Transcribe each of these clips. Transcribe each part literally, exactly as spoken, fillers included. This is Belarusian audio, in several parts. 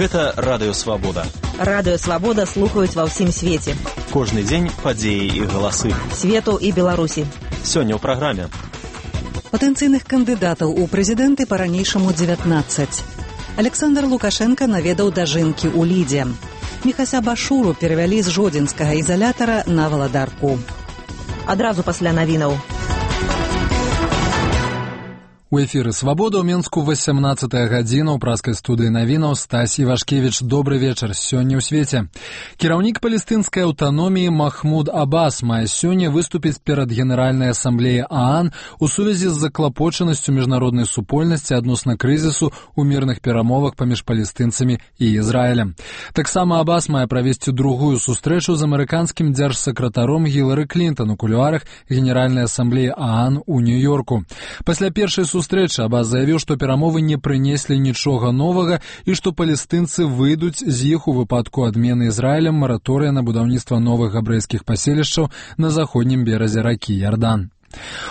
Гэта радыё Свабода. Радыё Свабода слухаюць ва ўсім свеце. Кожны дзень падзеі і галасы Свету і Беларусі. Сёння ў праграме. Патэнцыйных кандыдатаў у прэзідэнты па-ранейшаму дзевятнаццаць. Александр Лукашенко наведаў дажынкі ў Лідзе. Міхася Башуру перавялі з жодзінскага ізалятара на Валадарку. Адразу пасля навінаў. У эфіры «Свабода» ў Менску васямнаццатая гадзіна ў праскай студыі навінаў Стась Івашкевіч. Добры вечар. Сёння ў свеце. Кіраўнік палестынскай аўтаноміі Махмуд Аббас мае сёння выступіць перад Генеральнай асамблеяй ААН у сувязі з заклапочанасцю міжнароднай супольнасці адносна крызісу ў мірных перамовах паміж палестынцамі і Ізраілем. Таксама Аббас мае правесці другую сустрэчу з амерыканскім дзяржсакратаром Гілары Клінтон у кулуарах Генеральнай асамблеі ААН у Нью-Йорку. Пасля першай сустрэчы Аббас заявіў, што перамовы не прынеслі нічога новага і што палестынцы выйдуць з іх у выпадку адмены Ізраілем мараторыя на будаўніцтва новых габрэйскіх паселішчаў на заходнім беразе ракі Ярдан.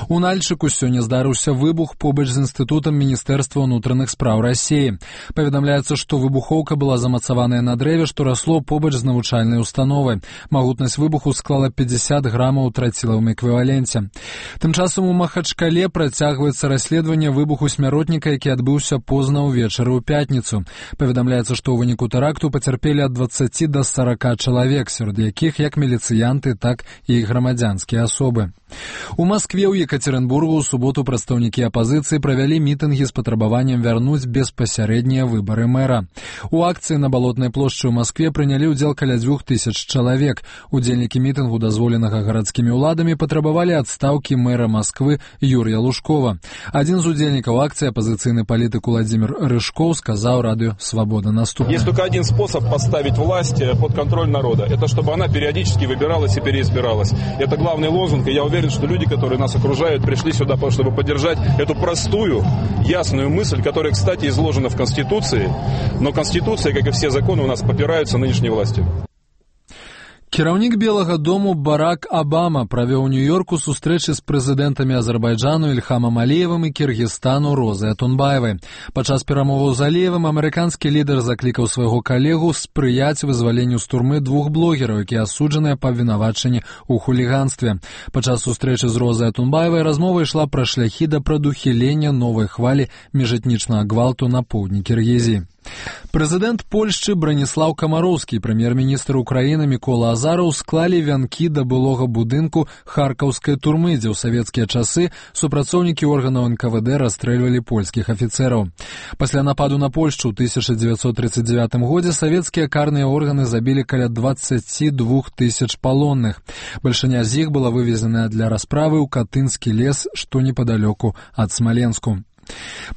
У Нальчыку сёння здарыўся выбух побач з інстытутам Міністэрства ўнутраных спраў Расіі. Паведамляецца, што выбухоўка была замацаваная на дрэве, што расло побач з навучальнай установай. Магутнасць выбуху склала пятьдесят грамаў у трацілавым эквіваленце. Тым часам у Махачкале працягваецца расследаванне выбуху смяротніка, які адбыўся позна ўвечары ў пятніцу. Паведамляецца, што ў выніку тэракту пацярпелі ад дваццаці да сарака чалавек, сярод якіх як міліцыянты, так і грамадзянскія асобы. У Маскве ў Екатеринбургу ў суботу прадстаўнікі апазіцыі правялі мітынгі з патрабаваннем вярнуць беспасярэднія выбары мэра. У акцыі на Балотнай плошчы ў Маскве прынялі ўдзел каля дзвюх тысяч чалавек. Удзельнікі мітынгу, дазволенага гарадскімі ўладамі, патрабавалі адстаўкі мэра Масквы Юрія Лужкова. Адзін з удзельнікаў акцыі, апазіцыйны палітык Владимир Рыжков, сказаў радыё «Свобода» наступное. Есть только один способ поставить власть под контроль народа. Это чтобы она периодически выбиралась и переизбиралась. Это главный лозунг, и я уверен, что люди, которые нас окружают, пришли сюда, чтобы поддержать эту простую, ясную мысль, которая, кстати, изложена в Конституции, но Конституция, как и все законы, у нас попираются нынешней властью. Кіраўнік Белага дому Барак Абама правёў у Нью-Йорку сустрэчы з прэзідэнтамі Азербайджану Ільхамам Аліевым і Кіргізстану Розай Атунбаевай. Падчас перамоваў з Аліевым амерыканскі лідар заклікаў свайго калегу спрыяць вызваленню з турмы двух блогераў, якія асуджаныя па абвінавачанні ў хуліганстве. Падчас сустрэчы з Розай Атунбаевай размова ішла пра шляхі да прадухілення новай хвалі міжэтнічнага гвалту на поўдні Кіргізіі. Прэзідэнт Польшчы Браніслаў Камароўскі і прэм'ер-міністр Украіны Мікола Азараў склалі вянкі да былога будынку харкаўскай турмы, дзе ў савецкія часы супрацоўнікі органаў эн ка вэ дэ расстрэльвалі польскіх афіцэраў. Пасля нападу на Польшчу ў тысяча дзевяцьсот тридцать девятым годзе савецкія карныя органы забілі каля дваццаці двух тысяч палонных. Бальшыня з іх была вывезеная для расправы ў Катынскі лес, што непадалёку ад Смаленску.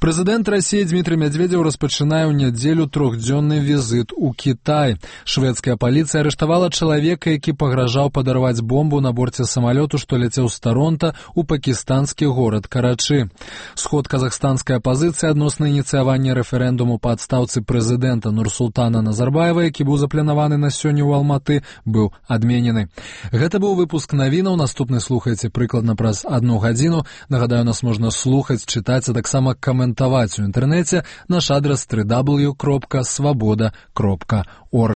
Прэзідэнт Расіі Дмітрый Мядзведзеў распачынае ў нядзелю трохдзённы візіт у Кітай. Шведская паліцыя арыштавала чалавека, які пагражаў падарваць бомбу на борце самалёту, што ляцеў з Таронта ў пакістанскі горад Карачы. Сход казахстанскай апазіцыі адносна ініцыявання рэферэндуму па адстаўцы прэзідэнта Нурсултана Назарбаева, які быў запланаваны на сёння ў Алматы, быў адменены. Гэта быў выпуск навінаў. Наступны слухайце прыкладна праз адну гадзіну. Нагадаю, нас можна слухаць, чытаць, а таксама каментаваць у інтэрнэце. Наш адрас дабл ю дабл ю дабл ю кропка свабода кропка орг.